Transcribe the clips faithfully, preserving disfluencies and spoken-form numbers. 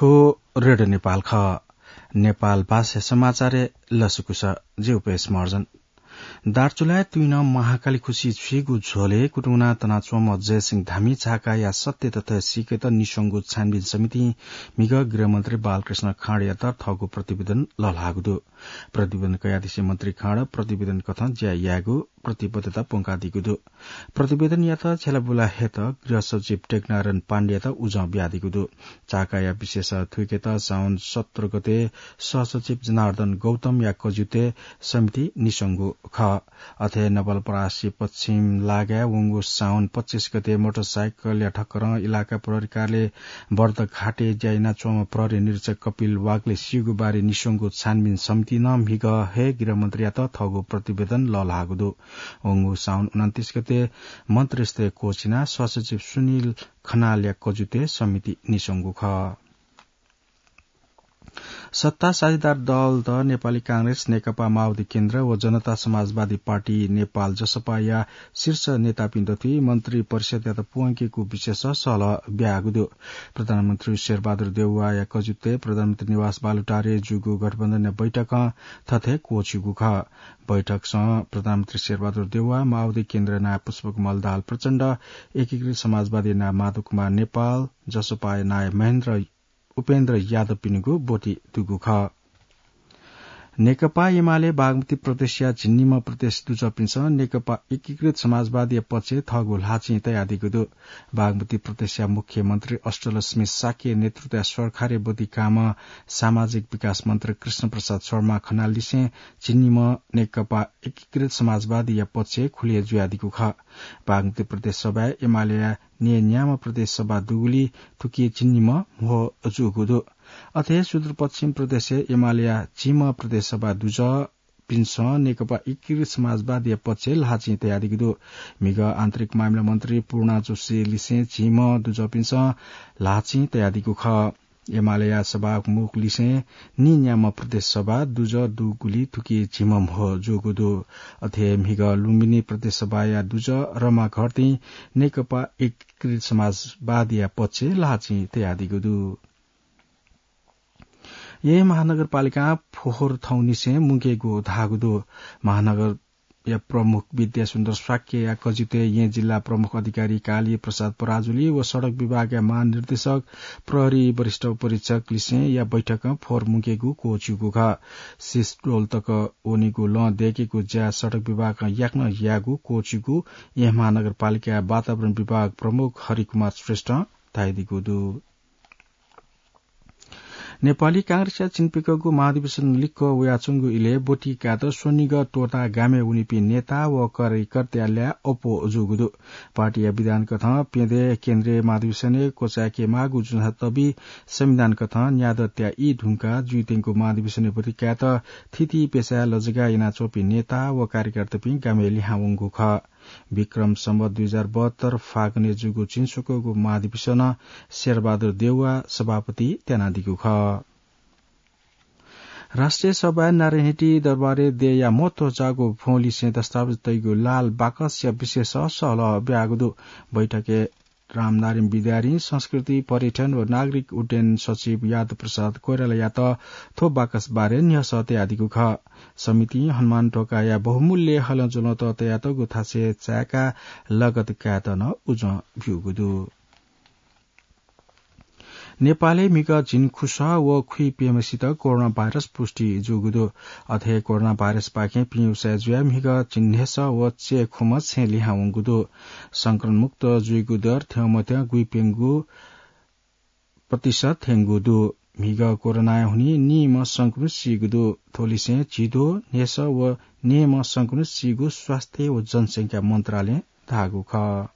थ्व रेडियो नेपाल खः। नेपाल भाषा समाचारय् लसकुस, जि उपेश महर्जन। दार्चुलाय् तुइनं महाकाली खुसि छुइगु झ्वलय् कुतुं वनाः तनाच्वंम्ह जयसिंह धामी झाकाया सत्य तथ्य सीकेत निस्वंगु छानबिन समितिं म्हिगः गृहमन्त्री बालकृष्ण खाँडयात थःगु प्रतिवेदन लःल्हाःगु दु। प्रतिवेदन कयादिसें मन्त्री खाँड प्रतिवेदन कथं ज्या यायेगु प्रतिबद्धता प्वंकादीगु दु। प्रतिवेदनयात छ्यलाबुला हयेत गृह सचिव टेकनारायण पाण्डेयात उजं बियादीगु दु। झाकाया विशेष थुइकेत साउन सत्र गते सहसचिव जनार्दन गौतमया कज्युतय् समिति निस्वंगु खः। अथे नवलपरासी पश्चिम लागाय् वंगु साउन पच्चिस गते मोटरसाइकलया ठक्करं इलाका प्रहरी कार्यालय बर्दघाटय् ज्या यानाच्वंम्ह प्रहरी निरीक्षक कपिल वाग्ले सीगु बारे निस्वंगु छानबिन समितिं म्हिगः हे गृहमन्त्रीयात थःगु प्रतिवेदन लःल्हाःगु दु। वंगु साउन उनन्तीस गते मन्त्रीस्तरीय कोष यानाः सहसचिव सुनिल खनालया कज्युतय् समिति निस्वंगु खः। सत्ता साझेदार दलत नेपाली कांग्रेस, नेकपा माओवादी केन्द्र व जनता समाजवादी पार्टी नेपाल, जसपाया शीर्ष नेतापिं दथुइ मन्त्री परिषदयात प्वंकेगु विषयस सहलह ब्याःगु दु। प्रधानमन्त्री शेरबहादुर देउवाया कजुतय् प्रधानमन्त्री निवास बालुटारे जूगु गठबन्धनया बैठकं थथे क्वःछिउगु खः। बैठकसं प्रधानमन्त्री शेरबहादुर देउवा, माओवादी केन्द्रया नायः पुष्पकमल दाहाल प्रचण्ड, एकीकृत समाजवादी नायः माधव कुमार नेपाल, जसपाया नायः महेन्द्र उपेन्द्र यादवपिनिगु ब्वति दुगु खः। नेकपा एमाले बागमती प्रदेशया झिंनिम्ह प्रदेश दुजःपिन्सं नेकपा एकीकृत समाजवादीया पक्षय् थःगु ल्हाःचिं तयादीगु दु। बागमती प्रदेशया मुख्यमन्त्री अष्टलक्ष्मी शाक्य नेतृत्वया सरकारय् ब्वति काःम्ह सामाजिक विकास मन्त्री कृष्ण प्रसाद शर्मा खनाललिसें झिंनिम्ह नेकपा एकीकृत समाजवादीया पक्षय् खुले जुयादीगु खः। बागमती प्रदेश सभाय् एमालेया न्येन्याम्ह प्रदेश सभा दुगुलिइ थुकी झिंनिम्ह म्हो जूगु दु। अथे सुदूरपश्चिम प्रदेशय् एमालेया झिम्ह प्रदेश सभा दुजःपिन्सं नेकपा एकीकृत समाजवादीया पक्षय् ल्हाःचिं तयादीगु दु। म्हिगः आन्तरिक मामिला मन्त्री पूर्णा जोशीलिसें झिम्ह दुजःपिन्सं ल्हाःचिं तयादीगु खः। एमालेया सभामुखलिसें नीन्याम्ह प्रदेश सभा दुजः दुगुलिइ थुकी झिम्ह म्हो जूगु दु। अथे म्हिगः लुम्बिनी प्रदेश सभाया दुजः रमा घरतीं नेकपा एकीकृत समाजवादीया पक्षय् ल्हाःचिं तयादीगु दु। येँ महानगरपालिकां फोहोर थौंनिसें मुंकेगु धाःगु दु। महानगरया प्रमुख विद्यासुन्दर शाक्यया कजितय् येँ जिल्ला प्रमुख अधिकारी काली प्रसाद पराजुली व सडक विभागया महानिर्देशक प्रहरी वरिष्ठ उपरीक्षकलिसेंया बैठकं फोहोर मुंकेगु क्वःछिउगु खः। सिसडोल तक वनीगु लँ दय्केगु ज्या सडक विभागं याकनं याःगु क्वःछिउगु येँ महानगरपालिकाया वातावरण विभाग प्रमुख हरिकुमार श्रेष्ठं धयादीगु दु। नेपाली कांग्रेसया झिंप्यकःगु महाधिवेशन लिक्क वयाच्वंगु इलय् ब्वति कायेत स्वनिगः त्वःताः गामय् वनीपिं नेता व कार्यकर्ताया ल्याः अप्वः जूगु दु। पार्टीया विधान कथं प्यदँय् केन्द्रीय महाधिवेशनय् क्वचाय्के माःगु जुजुं तबि संविधान कथं न्यादँ त्याः ई धुंकाः जुइत्यंगु महाधिवेशनय् ब्वति कायेत थीथी पेसाय् लजगाः यानाच्वंपिं नेता व कार्यकर्तापिं गामय् लिहां वंगु खः। विक्रम सम्वत दुई हजार बहत्तर फागुनय् जूगु झिंस्वकःगु महाधिवेशनं शेरबहादुर देउवा सभापति त्यानादीगु खः। राष्ट्रिय सभाय् नारायणहिटी दरबारय् देय्‌या महत्व जाःगु भ्वंलिसें दस्तावेज तइगु लाल बाकसया विषयस सहलह ब्याःगु दु। बैठकय् रामनारायण विद्याधीन संस्कृति, पर्यटन व नागरिक उड्डयन सचिव यादव प्रसाद कोइरालायात थ्व बाकस बारे न्ह्यसः तयादीगु खः। समितिं हनुमान ढोकाया बहुमूल्य हलंज्वलंत तयातःगु थासय् चाय्‌काः लगत कायेत नं उजं ब्यूगु दु। नेपालय् म्हिगः झिंखुसः व खुइप्यम्हसित कोरोना भाइरस पुष्टि जूगु दु। अथे कोरोना भाइरसपाखें पिउसाय् जुयाः म्हिगः झिंन्हय्‌सः व च्यय्‌खुम्ह छेँ लिहां वंगु दु। संक्रमणमुक्त जुइगु दर थ्यंमथ्यं गुइप्यंगू प्रतिशत थ्यंगु दु। म्हिगः कोरोनाय् हुनिं नीम्ह संक्रमित सीगु दु। थ्वलिसें झिद्वः, न्हय्‌सः व न्येम्ह संक्रमित सीगु स्वास्थ्य व जनसंख्या मन्त्रालयं धाःगु खः।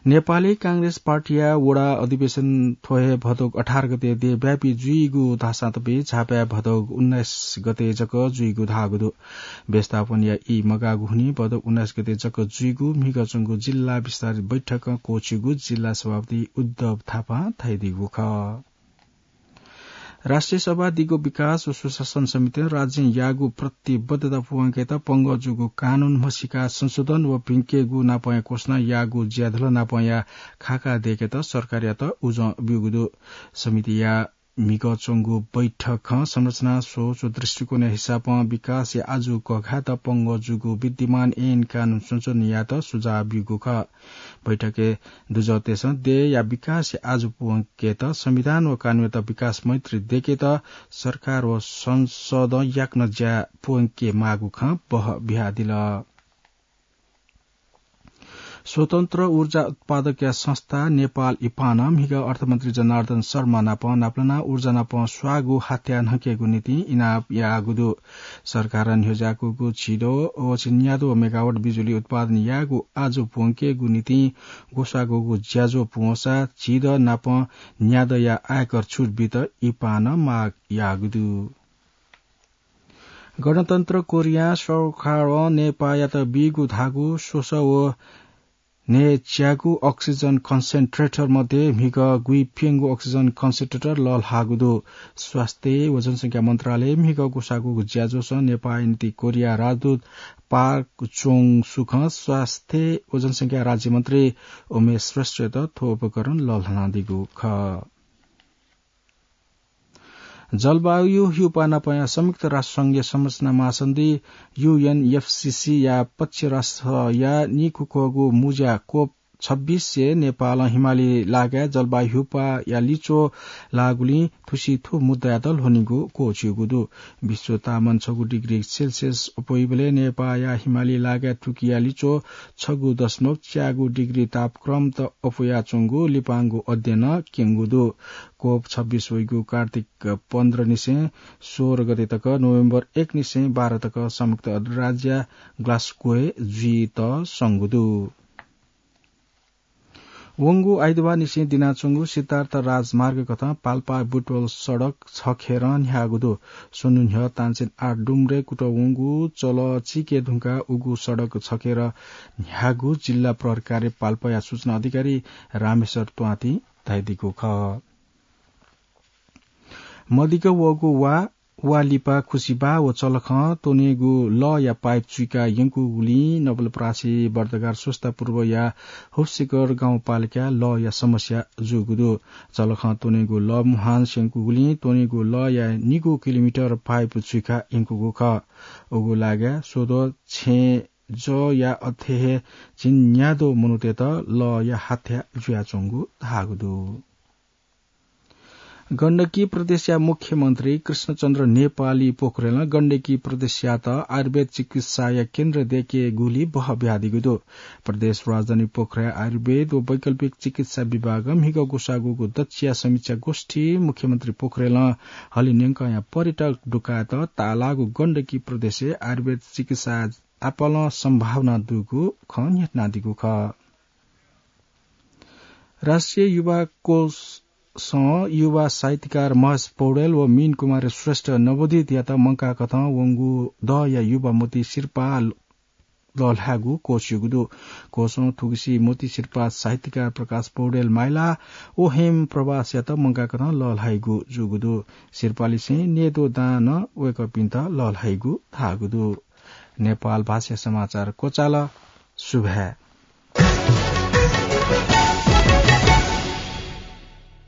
नेपाली कांग्रेस पार्टीया वडा अधिवेशन थ्व हे भदौक अठार गते देशव्यापी जुइगु धाःसां तबि झापाय् भदौक उन्नाइस गते जक जुइगु धाःगु दु। व्यवस्थापनया ई मगाःगु हुनिं भदौक उन्नाइस गते जक जुइगु म्हिगः च्वंगु जिल्ला विस्तारित बैठकं क्वःछिउगु जिल्ला सभापति उद्धव थापां धयादीगु खः। राष्ट्रिय सभा दिगो विकास व सुशासन समितिं राज्यं याःगु प्रतिबद्धता पूवंकेत पंगः जूगु कानून म्हसीका संशोधन व भिंकेगु नापंया घोषणा याःगु ज्याधल नापंया खाका दय्‌केत सरकारयात उजं ब्यूगु दु। समितिया म्हिगः च्वंगु बैठकं संरचना, सोच व दृष्टिकोणया हिसाबं विकासया आजु कघाःत पंगः जूगु विद्यमान ऐन कानून संशोधन यायेत सुझाव ब्यूगु खः। बैठकय् दुजःतय्‌सं देय्‌या विकासया आजु पूवंकेत संविधान व कानूनयात विकास मैत्री दय्‌केत सरकार व संसदं याकनं ज्या पूवंके माःगु खँ बहबिहादिल। स्वतन्त्र ऊर्जा उत्पादकया संस्था नेपाल इपानं म्हिगः अर्थमन्त्री जनार्दन शर्मा नाप नापलानाः ऊर्जा नाप स्वाःगु हात्या न्हंकेगु निंतिं इनाप याःगु दु। सरकारं न्ह्यज्याकूगु झिद्वः व झिंन्याद्वः मेगावाट बिजुली उत्पादन यायेगु आजु पूवंकेगु निंतिं ग्वसाःगु ज्याझ्वः पूवंसा झिद्वः नाप न्याद्वःया आयकर छुट बीत इपानं माग याःगु दु। गणतन्त्र कोरियां सरकारं नेपाःयात बीगु धाःगु स्वसः व न्हय्‌च्यागु अक्सिजन कन्सेन्ट्रेटर मध्ये म्हिगः गुइप्यंगू अक्सिजन कन्सेन्ट्रेटर लःल्हाःगु दु। स्वास्थ्य व जनसंख्या मन्त्रालयं म्हिगः ग्वसाःगु ज्याझ्वलं नेपाःया निंतिं कोरिया राजदूत पार्क चोङ सुखं स्वास्थ्य व जनसंख्या राज्यमन्त्री उमेश श्रेष्ठयात थ्व उपकरण लःल्हानादीगु खः। जलवायु ह्यूपाः नापंया संयुक्त राष्ट्र संघया संरचना महासन्धि, यूएनएफसीसी या पक्ष राष्ट्रया निखुखःगु मुँज्या कोप छब्बिसय् नेपालं हिमाली लागाय् जलवायु ह्यूपाःया लिच्वः लाःगुलिं थुसी थ्व मुद्दायात ल्ह्वनीगु क्वःछिउगु दु। विश्व तापमान छगू डिग्री सेल्सियस अप्वइबलय् नेपाःया हिमाली लागाय् तुकिया लिच्वः छगू दशमलव च्यागू डिग्री तापक्रमत अप्वयाच्वंगु लिपांगु अध्ययनं क्यंगु दु। कोप छब्बिस वइगु कार्तिक पन्ध्र निसें सोह्र गते तक, नोभेम्बर एक निसें बाह्र तक संयुक्त राज्य ग्लास्गोय् जुइत संगु दु। वंगु आइतबार निसें दिनाच्वंगु सिद्धार्थ राजमार्ग कथं पाल्पा बुटवल सडक छखेरं न्ह्याःगु दु। स्वन्हु न्ह्यः तानसेन आठ डुम्रे कुतः वंगु चलः चिके धुंकाः उगु सडक छखेरं न्ह्याःगु जिल्ला प्रहरी कार्य पाल्पाया सूचना अधिकारी रामेश्वर त्वांतिं धयादीगु खः। मदिक्क वःगु वा, वा लिपा खुसिबाः व चलखं त्वनेगु लःया पाइप चुइका यंकूगुलिं नवलपरासी बर्तगार स्वस्ता पूर्वया हुप्सिकर गाउँपालिकाय् लःया समस्या जूगु दु। चलखं त्वनेगु लः मुहान स्यंकूगुलिं त्वनेगु लःया निगू किलोमिटर पाइप चुइका यंकूगु खः। उगु लागाय् स्वद्वः छेँ जःया अथे हे झिंन्याद्वः मनूतय्‌त लःया हाथ्या जुयाच्वंगु धाःगु दु। गण्डकी प्रदेशया मुख्यमन्त्री कृष्णचन्द्र नेपाली पोखरेलं गण्डकी प्रदेशयात आयुर्वेद चिकित्साया केन्द्र दय्‌केगुली बहबिहादीगु दु। प्रदेश राजधानी पोखराया आयुर्वेद व वैकल्पिक चिकित्सा विभागं म्हिगः ग्वसाःगु दच्छिया समीक्षा गोष्ठी मुख्यमन्त्री पोखरेलं हलिंन्यंकंया पर्यटक दुकायेत ताःलाःगु गण्डकी प्रदेशय् आयुर्वेद चिकित्सा आपालं सम्भावना दुगु खँ न्ह्यथनादीगु खः। राष्ट्रिय युवा कोषं युवा साहित्यकार महेश पौडेल व मीन कुमार श्रेष्ठ नवोदितयात मंकाकथं वंगु दःया युवा मोती सिरपाः लःल्हायेगु क्वःछिउगु दु। कोषं थुगुसी मोती सिरपाः साहित्यकार प्रकाश पौडेल माइला व हेम प्रवासयात मंकाकथं लःल्हाइगु जूगु दु। सिरपाःलिसें न्यय्‌द्वः दां नं वय्‌कःपिन्त लःल्हाइगु धाःगु दु। नेपाल भाषाया समाचार क्वचाल। सुभाय्।